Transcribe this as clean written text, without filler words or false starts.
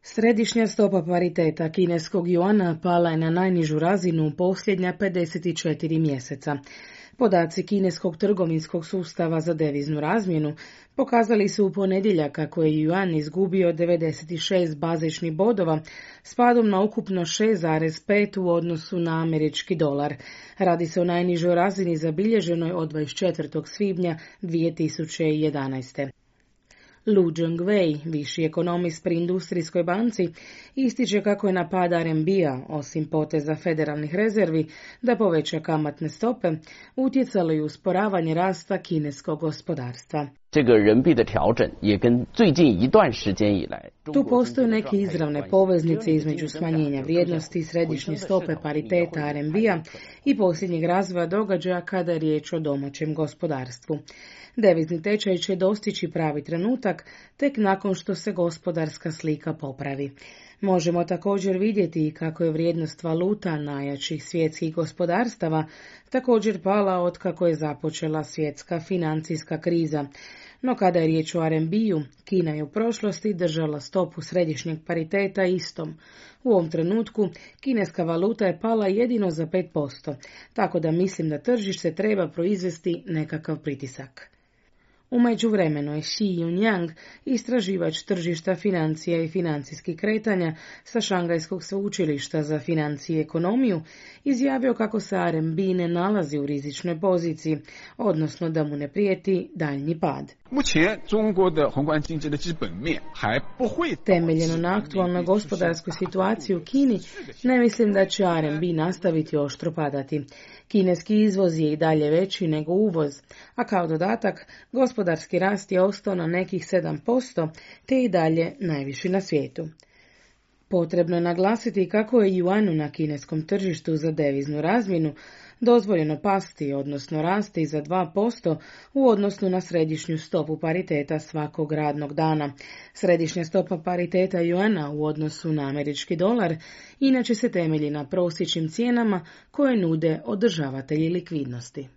Središnja stopa pariteta kineskog juana pala je na najnižu razinu u posljednja 54 mjeseca. Podaci kineskog trgovinskog sustava za deviznu razmjenu pokazali su u ponedjeljak kako je juan izgubio 96 bazičnih bodova s padom na ukupno 6,5 u odnosu na američki dolar. Radi se o najnižoj razini zabilježenoj od 24. svibnja 2011. Lu Zhengwei, viši ekonomist pri Industrijskoj banci, ističe kako je na pad RMB-a, osim poteza federalnih rezervi da poveća kamatne stope, utjecalo i usporavanje rasta kineskog gospodarstva. Tu postoje neke izravne poveznice između smanjenja vrijednosti središnje stope pariteta RMB-a i posljednjeg razvoja događaja kada je riječ o domaćem gospodarstvu. Devizni tečaj će dostići pravi trenutak tek nakon što se gospodarska slika popravi. Možemo također vidjeti kako je vrijednost valuta najjačih svjetskih gospodarstava također pala otkako je započela svjetska financijska kriza. No kada je riječ o RMB-u, Kina je u prošlosti držala stopu središnjeg pariteta istom. U ovom trenutku kineska valuta je pala jedino za 5%, tako da mislim da tržište treba proizvesti nekakav pritisak. U međuvremenu je Xi Yunyang, istraživač tržišta financija i financijskih kretanja sa Šangajskog sveučilišta za financije i ekonomiju, izjavio kako se RMB ne nalazi u rizičnoj poziciji, odnosno da mu ne prijeti daljnji pad. Temeljeno na aktualnoj gospodarskoj situaciji u Kini, ne mislim da će RMB nastaviti oštro padati. Kineski izvoz je i dalje veći nego uvoz, a kao dodatak gospodarski rast je ostao na nekih 7%, te i dalje najviši na svijetu. Potrebno je naglasiti kako je juanu na kineskom tržištu za deviznu razmjenu dozvoljeno pasti, odnosno rasti za 2% u odnosu na središnju stopu pariteta svakog radnog dana. Središnja stopa pariteta juana u odnosu na američki dolar inače se temelji na prosječnim cijenama koje nude održavatelji likvidnosti.